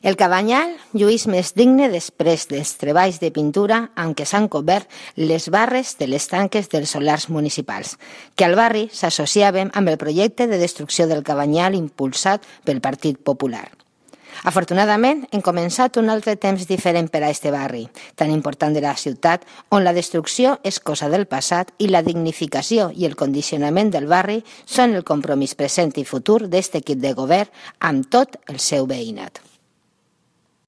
El Cabanyal lluís més digne després dels treballs de pintura amb què s'han cobert les barres de les tanques dels solars municipals, que al barri s'associaven amb el projecte de destrucció del Cabanyal impulsat pel Partit Popular. Afortunadament, hem començat un altre temps diferent per a este barri, tan important de la ciutat, on la destrucció és cosa del passat i la dignificació i el condicionament del barri són el compromís present i futur d'este equip de govern amb tot el seu veïnat.